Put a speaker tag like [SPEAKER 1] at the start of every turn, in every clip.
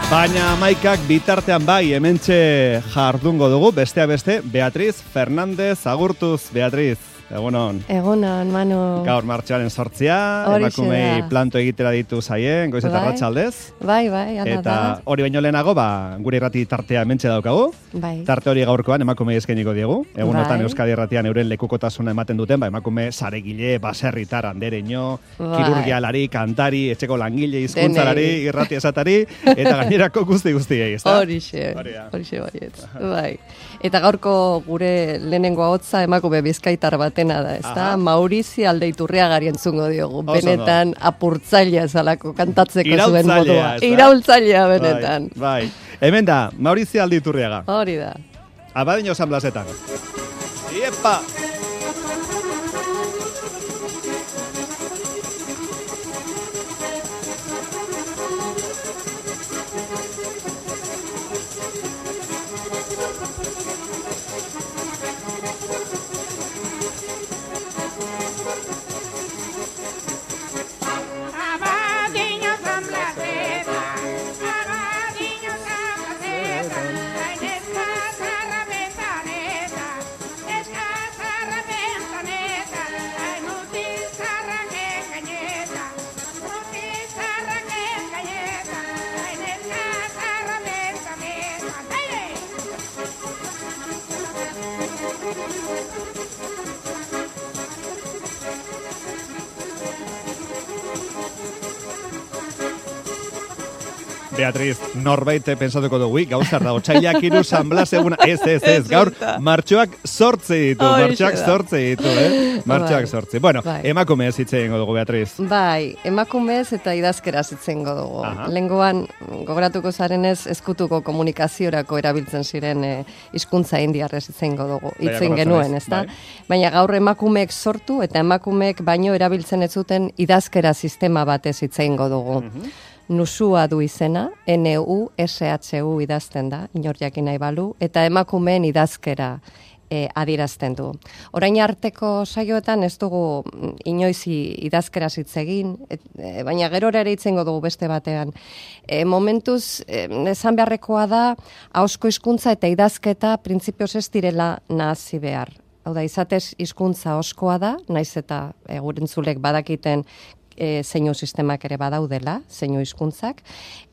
[SPEAKER 1] Baina maikak bitartean bai, hementxe jardungo dugu, bestea beste, Beatriz Fernández, agurtuz, Beatriz. Egunon.
[SPEAKER 2] Egunon, Manu.
[SPEAKER 1] Gaur martxoaren 8, emakumei planto egitera ditu zaien, goiz eta arratsaldez.
[SPEAKER 2] Bai, ala da.
[SPEAKER 1] Eta hori baino lehenago, gure irrati tartea hementxe daukagu.
[SPEAKER 2] Bai.
[SPEAKER 1] Tarte hori gaurkoan emakumei eskainiko diegu. Egunotan Euskadi Irratian euren lekukotasuna ematen duten, emakume saregile, baserritar, andereño, kirurgialari, kantari, etxeko langile, hizkuntzalari, irrati esatari, eta gainerako guztiei, ezta?
[SPEAKER 2] Horixe baiet. Bai. Eta gaurko gure lehenengo ahotsa emakume bizkaitar batena da, ezta? Maurizio Aldeiturriagari entzungo diogu. Benetan apurtzailea zalako kantatzeko zuen modua. Iraultzailea benetan.
[SPEAKER 1] Bai. Hemen da, Maurizio Aldeiturriaga.
[SPEAKER 2] Hori da.
[SPEAKER 1] Abadiño San Blasetan. Iepa! Beatriz, norbait pensatuko dugu, gauzar dago, txailak 3 San Blas eguna, ez, gaur, martxoak 8 ditu, martxoak 8. Bueno, emakumez hitzengo dugu, Beatriz.
[SPEAKER 2] Bai, emakumez eta idazkeraz hitzengo dugu. Lengoan, gogoratuko zarenez, ezkutuko komunikaziorako erabiltzen ziren hizkuntza indiarrez hitzengo dugu, hitzen genuen, ezta? Baina gaur emakumeek sortu eta emakumeek baino erabiltzen ez zuten idazkera sistema batez hitzengo dugu. Nusua du izena, NUSHU idazten da, inor jakin nahi balu, eta emakumeen idazkera adierazten du. Orain arteko saioetan ez dugu inoiz idazkeraz hitz egin, baina gerora ere hitzengo dugu beste batean. Momentuz, esan beharrekoa da, ahozko hizkuntza eta idazketa printzipioz ez direla nahasi behar. Hau da, izatez hizkuntza ahozkoa da, naiz eta gurentzulek badakiten zeinu sistemak ere badaudela, zeinu hizkuntzak,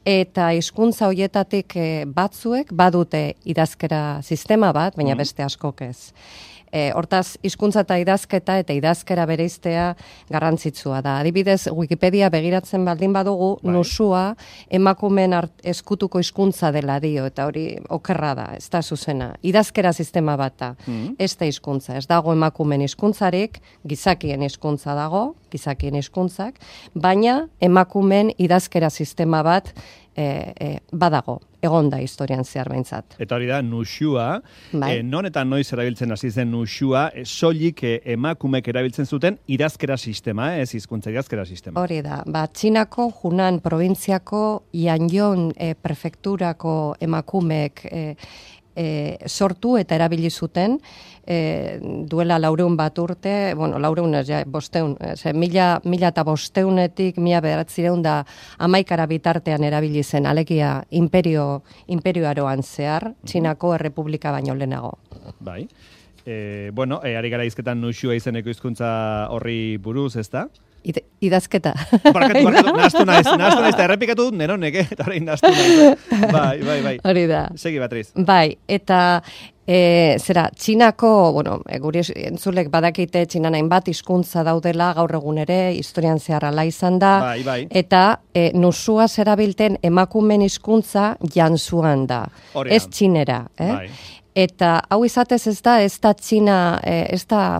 [SPEAKER 2] eta hizkuntza hoietatik batzuek badute idazkera sistema bat, baina beste askok ez. Hortaz, hizkuntza eta idazkera bereiztea garrantzitsua da. Adibidez, Wikipedia begiratzen baldin badugu, nusua emakumeen eskutuko hizkuntza dela dio, eta hori okerra da, ez da zuzena. Idazkera sistema bat da, ez da hizkuntza. Ez dago emakumeen hizkuntzarik, gizakien hizkuntza dago, gizakien hizkuntzak, baina emakumeen idazkera sistema bat badago, egon da historian zehar behintzat.
[SPEAKER 1] Eta hori da, nusua, non eta noiz erabiltzen hasi zen nusua, soilik emakumek erabiltzen zuten idazkera sistema, ez hizkuntza idazkera sistema.
[SPEAKER 2] Hori da, Txinako, Hunan provintziako, Yangon prefekturako emakumeek sortu eta erabili zuten, duela 400 urte, bueno, 1500-etik 1911 bitartean erabili zen, alegia imperioaroan zehar, Txinako errepublika baino lehenago.
[SPEAKER 1] Bai. Bueno, ari gara hizketan nusua izeneko hizkuntza horri buruz, ezta?
[SPEAKER 2] Idazketa.
[SPEAKER 1] Barkatu, nahastu naiz, eta errepikatu dut neronek, eta horrein nahastu naiz. Bai.
[SPEAKER 2] Hori da.
[SPEAKER 1] Segi, Beatriz.
[SPEAKER 2] Bai, eta Txinako, bueno, guri entzulek badakite Txinan hainbat hizkuntza daudela gaur egun ere, historian zehar ala izan da, eta nusua zerabilten emakumen hizkuntza jantzuan da, ez txinera. Eta hau izatez ez da Txina, ez da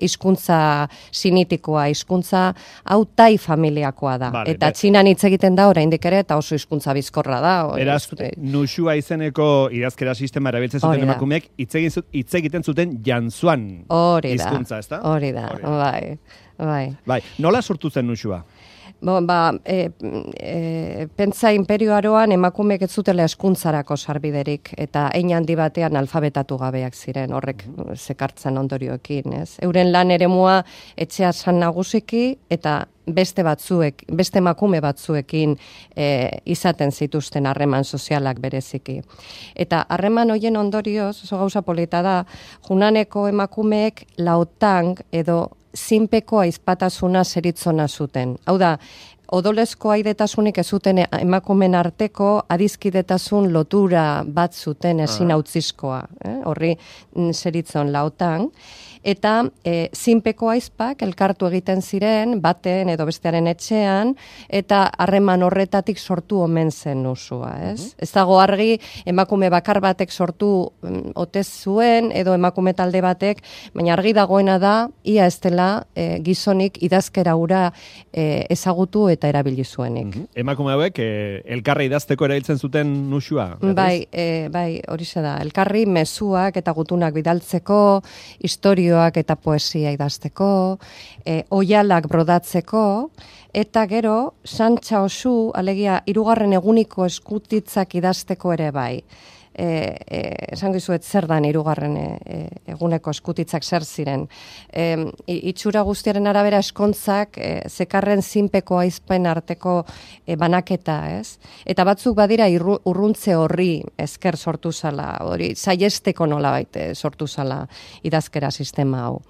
[SPEAKER 2] hizkuntza sinitikoa, hizkuntza hau tai familiakoa da. Eta Txinan hitz egiten da oraindik ere, eta oso hizkuntza bizkorra da.
[SPEAKER 1] Eraz, nusua izeneko idazkera sistema erabiltzen zuten emakumeek hitz egiten zuten jantzuan hizkuntza, ez da?
[SPEAKER 2] Hori da, bai.
[SPEAKER 1] Nola sortu zen nusua?
[SPEAKER 2] Pentsa imperioaroan emakumeek ez zutela eskuntzarako sarbiderik, eta hein handi batean alfabetatu gabeak ziren, horrek zekartzen ondorioekin, ez? Euren lan eremua etxea zan nagusiki, eta beste emakume batzuekin izaten zituzten harreman sozialak bereziki. Eta harreman hoien ondorioz, oso gauza polita da, junaneko emakumeek lautang edo zinpeko aizpatasuna zeritzona zuten. Hau da, odolezko aidetasunik ez zuten emakumen arteko adizkidetasun lotura bat zuten ezin hautzizkoa. Horri zeritzon lautang. Eta zinpeko aizpak elkartu egiten ziren, baten edo bestearen etxean, eta harreman horretatik sortu omen zen usua, ez? Ez dago argi, emakume bakar batek sortu ote zuen, edo emakume talde batek, baina argi dagoena da, ia ez dela gizonik idazkera hura ezagutu eta erabili zuenik.
[SPEAKER 1] Emakume hauek elkarri idazteko erabiltzen zuten usua?
[SPEAKER 2] Bai, horixe da. Elkarri mezuak eta gutunak bidaltzeko, historioak eta poesia idazteko, oialak brodatzeko, eta gero, santxa osu, alegia, 3. eguniko eskutitzak idazteko ere bai. Esango izuet zer dan 3. eguneko eskutitzak zer ziren. Itxura guztiaren arabera eskontzak zekarren zinpeko aizpen arteko banaketa, ez? Eta batzuk badira urruntze horri esker sortu zala, hori saiesteko nolabait sortu zala idazkera sistema hau.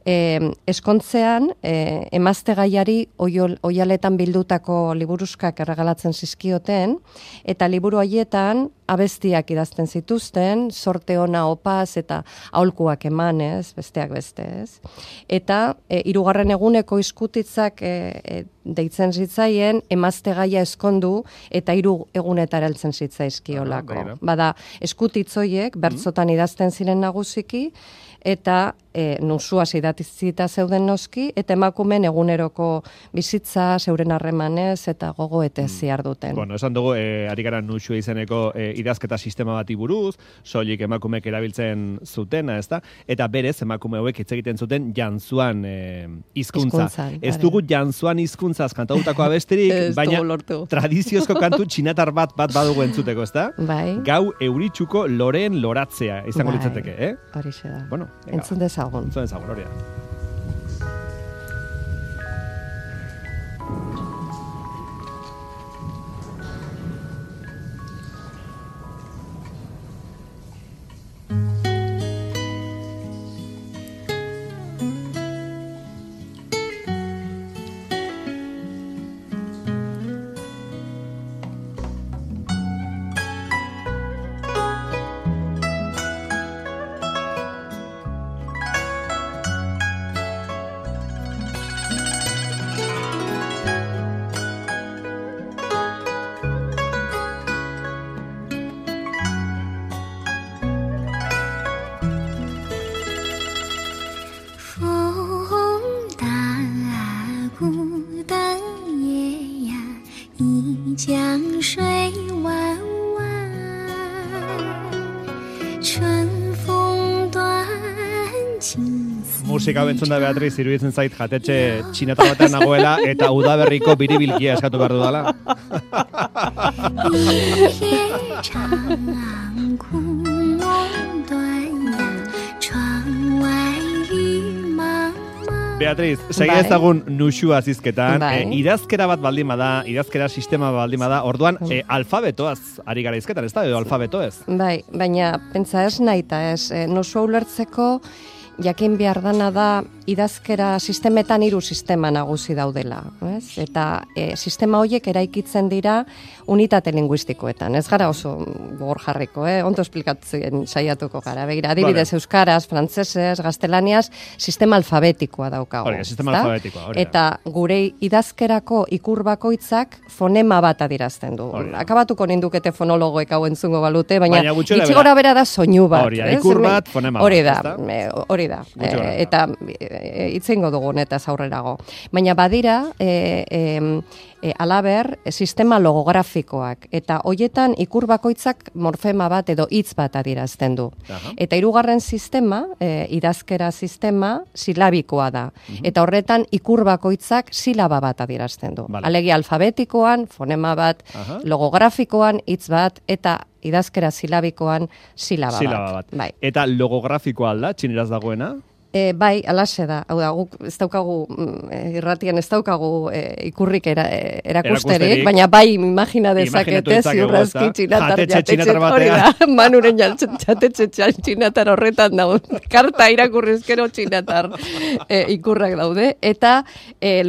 [SPEAKER 2] Eskontzean, emazte gaiari oialetan bildutako liburuskak erregalatzen zizkioten, eta liburu haietan abestiak idazten zituzten, sorte ona opaz eta aholkuak emanez, besteak bestez. Eta 3. eguneko izkutitzak deitzen zitzaien, emazte gaia eskondu eta 3 egunetara heltzen zitzaizkiolako. Bada, eskutitzoiek bertzotan idazten ziren nagusiki, eta nusuaz idatzita zeuden noski, eta emakumen eguneroko bizitza, zeuren harremanez, eta gogoetez ziharduten.
[SPEAKER 1] Bueno, esan dugu, ari gara nusua izeneko idazketa sistema bati buruz, soilik emakumeek erabiltzen zutena, ezta? Eta berez, emakume hauek hitz egiten zuten jantzuan hizkuntza. Ez dugu jantzuan hizkuntzaz kantatutako abesterik, baina tradiziozko kantu txinatar bat badugu entzuteko, ezta?
[SPEAKER 2] Bai.
[SPEAKER 1] Gau euritsuko loreen loratzea, izango litzateke,
[SPEAKER 2] Horixe da.
[SPEAKER 1] Bueno,
[SPEAKER 2] entzun dezagun.
[SPEAKER 1] Entzun dezagun, hori da. Musika bentzun da, Beatriz, iruditzen zait jatetxe txinata batean nagoela eta udaberriko biribilkia eskatu behar dudala. Beatriz, segi ezagun nusua zizketan, idazkera bat baldin bada, idazkera sistema baldin bada, orduan alfabetoaz ari gara izketan, ez da, edo alfabetoez?
[SPEAKER 2] Bai, baina pentsa ez nahi eta ez, nusua ulertzeko jakin behar dana da idazkera sistemetan 3 sistema nagusi daudela. Ez? Eta sistema horiek eraikitzen dira unitate linguistikoetan. Ez gara oso gogor jarriko, ondo esplikatzen saiatuko gara. Begira, adibidez euskaraz, frantsesez, gaztelaniaz, sistema alfabetikoa daukago.
[SPEAKER 1] Sistema alfabetikoa.
[SPEAKER 2] Eta gure idazkerako ikur bakoitzak fonema bat adirazten du. Akabatuko nindukete fonologoek hau entzungo balute, baina gitxi gora bera da soinu bat.
[SPEAKER 1] Ikur bat, fonema bat.
[SPEAKER 2] Hori da. Eta itzengo dugun eta aurrerago. Baina badira, alaber, sistema logografikoak. Eta hoietan ikur bakoitzak morfema bat edo hitz bat adirazten du. Eta 3. sistema, idazkera sistema, silabikoa da. Eta horretan ikur bakoitzak silaba bat adirazten du. Alegia alfabetikoan, fonema bat, logografikoan, hitz bat, eta idazkera silabikoan silaba bat.
[SPEAKER 1] Eta logografikoa alda, txineraz dagoena?
[SPEAKER 2] Bai, alaxe da. Hau da, guk ez daukagu, irratian ez daukagu ikurrik erakusterik, baina bai imagina dezakete ziurrazki txinatar jatetxe hori da. Manuren jatetxe txinatar horretan dago. Karta irakurrizkero txinatar ikurrak daude. Eta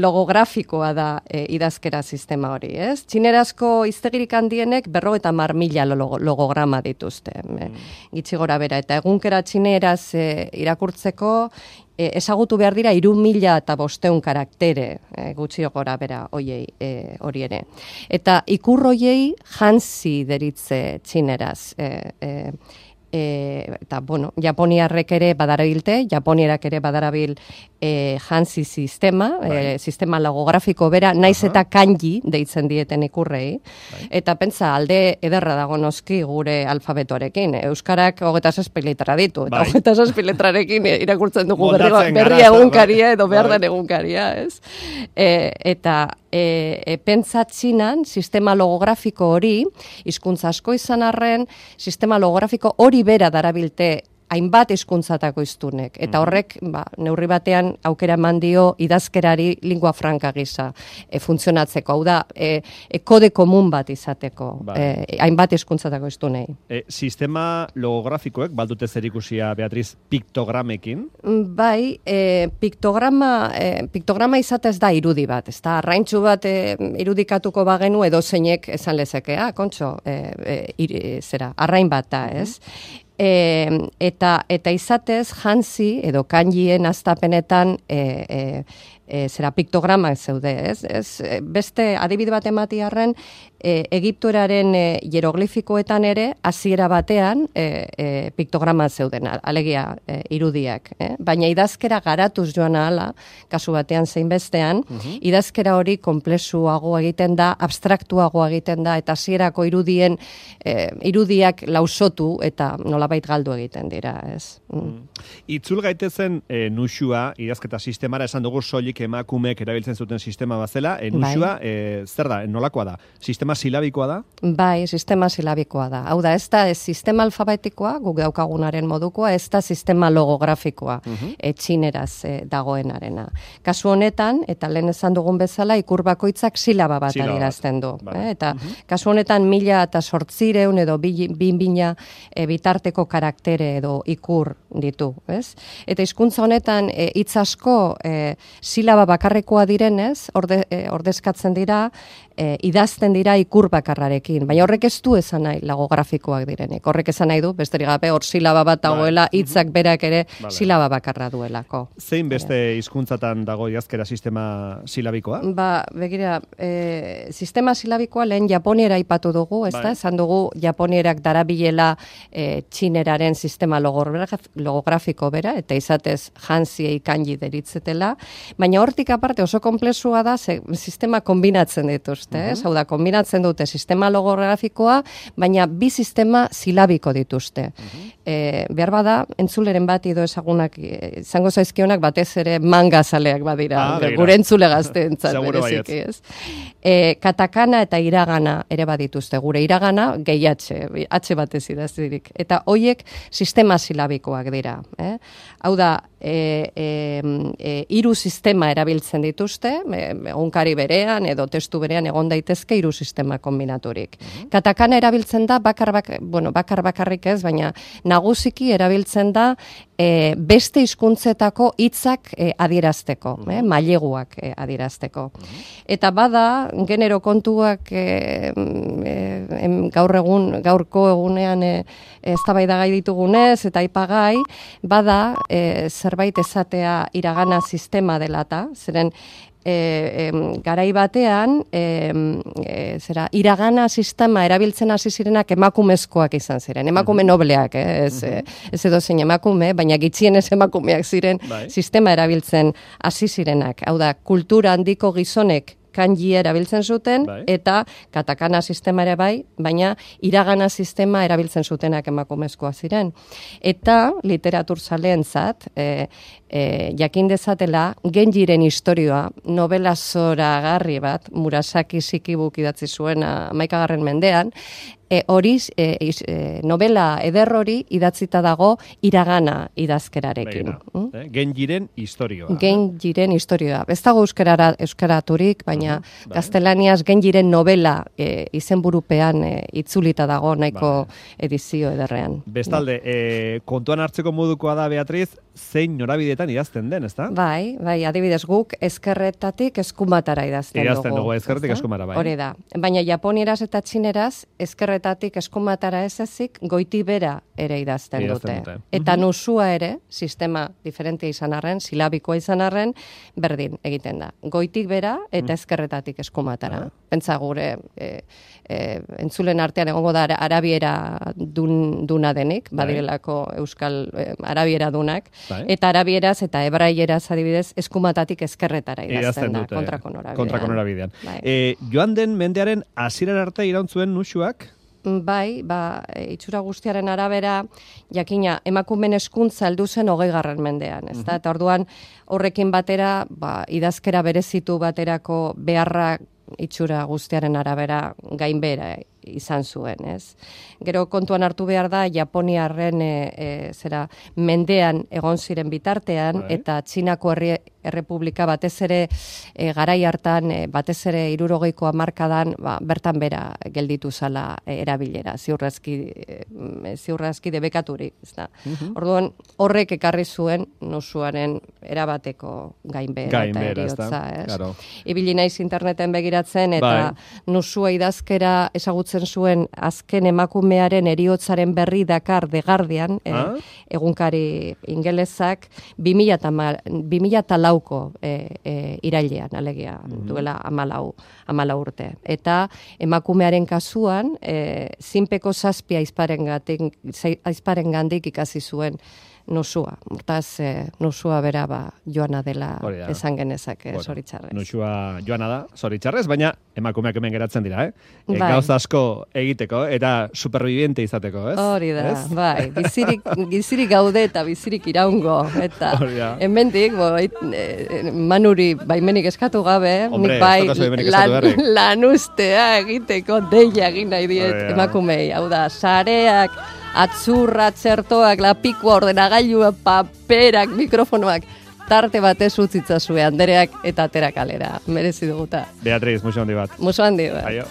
[SPEAKER 2] logografikoa da idazkera sistema hori, ez? Txinerazko hiztegirik handienek 50.000 logograma dituzte. Gitxi gora bera. Eta egunkera txineraz irakurtzeko ezagutu behar dira 3.500 karaktere gutxi gora bera hori ere. Eta ikur hoiei hansi deritze txineraz. Eta, bueno, japoniarrek ere badarabilte, japonierak ere badarabil hansi sistema, sistema logografiko bera, naiz eta kanji deitzen dieten ikurrei. Eta pentsa, alde ederra dago noski gure alfabetoarekin. Euskarak 26 letra ditu, eta 26 letrarekin irakurtzen dugu berria egunkaria edo behar den egunkaria, ez? Eta pentsa Txinan, sistema logografiko hori, hizkuntza asko izan arren, sistema logografiko hori bera darabilte hainbat hizkuntzatako hiztunek. Eta horrek, neurri batean aukera eman dio idazkerari lingua franca gisa funtzionatzeko. Hau da, kode komun bat izateko, hainbat hizkuntzatako hiztunei.
[SPEAKER 1] Sistema logografikoek, baldute zerikusia, Beatriz, piktogramekin?
[SPEAKER 2] Bai, piktograma izatez da irudi bat. Ez da, arraintxu bat irudikatuko bagenu edo zeinek esan lezekea, kontxo, arrain bat da, ez? Eta izatez, hansi edo kanjien astapenetan piktogramak zeude, ez? Beste adibide bat ematiarren, Egiptoraren hieroglifikoetan ere, hasiera batean piktograma zeuden, alegia irudiak. Baina idazkera garatuz joan ahala, kasu batean zein bestean, idazkera hori komplexuago egiten da, abstraktuago egiten da, eta hasierako irudiak lausotu eta nolabait galdu egiten dira, ez?
[SPEAKER 1] Itzul gaitezen nuxua, idazketa sistemara, esan dugu soilik emakumeek erabiltzen zuten sistema bazela, nuxua, zer da, nolakoa da? Sistema silabikoa da?
[SPEAKER 2] Bai, sistema silabikoa da. Hau da, ez da sistema alfabetikoa, guk daukagunaren modukoa, ez da sistema logografikoa, txineraz dagoenarena. Kasu honetan, eta lehen esan dugun bezala, ikur bakoitzak silaba bat adierazten du. Eta kasu honetan 1.800 edo 2.000 bitarteko karaktere edo ikur ditu, ez? Eta hizkuntza honetan hitz asko silaba bakarrekoa direnez, ordezkatzen dira, idazten dira ikur bakarrarekin, baina horrek ez du esan nahi logografikoak direnek. Horrek esan nahi du, besterik gabe, hor silaba bat dagoela, hitzak berak ere silaba bakarra duelako.
[SPEAKER 1] Zein beste hizkuntzatan dago idazkera sistema silabikoa?
[SPEAKER 2] Begira, sistema silabikoa lehen japoniera aipatu dugu, ez da? Esan dugu japonierak darabilela txineraren sistema logografiko bera, eta izatez hansiei kanji deritzetela, baina hortik aparte oso komplexua da, sistema kombinatzen dituzte. Hau da, kombinatzen dute sistema logografikoa, baina bi sistema silabiko dituzte. Behar bada, entzuleren bat edo ezagunak, izango zaizkionak batez ere mangazaleak badira, gure entzule gazteentzat bereziki, ez? Katakana eta iragana ere badituzte. Gure iragana gehi H batez idaztirik. Eta hoiek sistema silabikoak dira. Hau da, hiru sistema erabiltzen dituzte, egunkari berean edo testu berean egon daitezke hiru sistema kombinaturik. Katakana erabiltzen da bakarrik ez, baina nagusiki erabiltzen da beste hizkuntzetako hitzak adierazteko, maileguak adierazteko. Eta bada, genero kontuak gaurko egunean eztabaidagai ditugunez eta aipagai, bada zerbait esatea iragana sistema delata, zeren garai batean iragana sistema erabiltzen hasi zirenak emakumezkoak izan ziren, emakume nobleak, ez edo zein emakume, baina gitxienez emakumeak ziren sistema erabiltzen hasi zirenak. Hau da, kultura handiko gizonek kanji erabiltzen zuten, eta katakana sistema ere bai, baina iragana sistema erabiltzen zutenak emakumezkoa ziren. Eta literaturzaleentzat, jakin dezatela, Genjiren historioa, novela zoragarri bat, Murasaki Shikibuk idatzi zuen 11. mendean, hori novela eder hori idatzita dago iragana idazkerarekin.
[SPEAKER 1] Genjiren historioa.
[SPEAKER 2] Genjiren historioa. Ez dago euskaraturik, baina gaztelaniaz Genjiren novela izenburupean itzulita dago nahiko edizio ederrean.
[SPEAKER 1] Bestalde, kontuan hartzeko modukoa da, Beatriz, zein norabideetan idazten den, ezta?
[SPEAKER 2] Bai, adibidez guk ezkerretatik eskumatara idazten dugu.
[SPEAKER 1] Idazten dugu ezkerretik eskumara, bai.
[SPEAKER 2] Hori da. Baina japonieraz eta txineraz ezkerretatik eskumatara ez ezik goiti bera ere idazten dute. Eta nusua ere, sistema diferentia izan arren, silabikoa izan arren, berdin egiten da. Goitik bera eta ezkerretatik eskumatara. Pentsa gure entzulen artean egongo da arabiera duna denik, badirelako euskal arabiera dunak, eta arabieraz eta hebraieraz adibidez eskumatatik ezkerretara idazten da, kontrako norabidean.
[SPEAKER 1] Joan den mendearen hasieran arte irauntzuen nusuak?
[SPEAKER 2] Bai, itxura guztiaren arabera, jakina, emakumen hezkuntza heldu zen 20. mendean, ezta? Eta orduan horrekin batera, idazkera berezitu baterako beharrak itxura guztiaren arabera gainbehera izan zuen, ez? Gero kontuan hartu behar da, Japoniarren mendean egon ziren bitartean, eta Txinako Errepublika batez ere garai hartan, batez ere 60ko hamarkadan, bertan bera gelditu zala erabilera, ziurrazki debekaturik, ez da. Orduan, horrek ekarri zuen nusuaren erabateko gainbehera eta eriotza, ez? Ibili naiz interneten begiratzen, eta nusua idazkera ezagutzen zuen azken emakumearen eriotzaren berri dakar The Guardian, egunkari ingelesak, 2004ko irailean, alegia, duela 14 urte. Eta emakumearen kasuan, zinpeko 7 aizparengandik ikasi zuen nusua. Hortaz, nusua bera joana dela esan genezake, zoritxarrez.
[SPEAKER 1] Nusua joana da, zoritxarrez, baina emakumeak hemen geratzen dira, Gauza asko egiteko, eta superviviente izateko, ez?
[SPEAKER 2] Hori da, bai. Bizirik gaude eta bizirik iraungo. Eta hemendik, Manuri baimenik eskatu gabe, nik bai lanustea egiteko deia egin nahi diet emakumei. Hau da, sareak, atzurra, txertoak, lapikoa, ordenagailua, paperak, mikrofonoak, tarte batez utzitzazue Andereak eta atera kalera. Merezi duguta.
[SPEAKER 1] Beatriz, musu handi bat.
[SPEAKER 2] Musu handi bat.
[SPEAKER 1] Aio.